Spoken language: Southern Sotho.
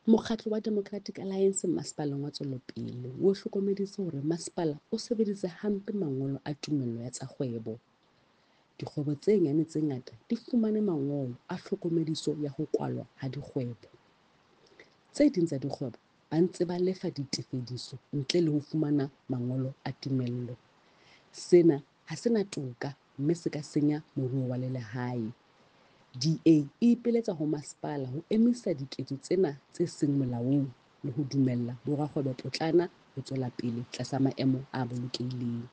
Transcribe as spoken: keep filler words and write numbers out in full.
Mokgatlo wa Democratic Alliance Masepaleng wa Tswelopele o hlokomedise hore masepala o sebedisitse hampe mangolo a tumello ya tsa kgwebo. Dikgwebo tse nyane tse ngata di fumane mangolo a tlhokomediso ya ho kwalwa ha dikgwebo. Tse ding tsa dikgwebo ba ntse ba lefa ditefediso ntle le ho fumana mangolo a tumello. Sena ha se na toka mme se ka senya moruo wa lelehae. D A e ipiletsa ho masepala ho emisa diketso tsena tse seng molaong le ho dumella borakgwebopotlana ho tswela pele tlasa maemo a bolokehileng.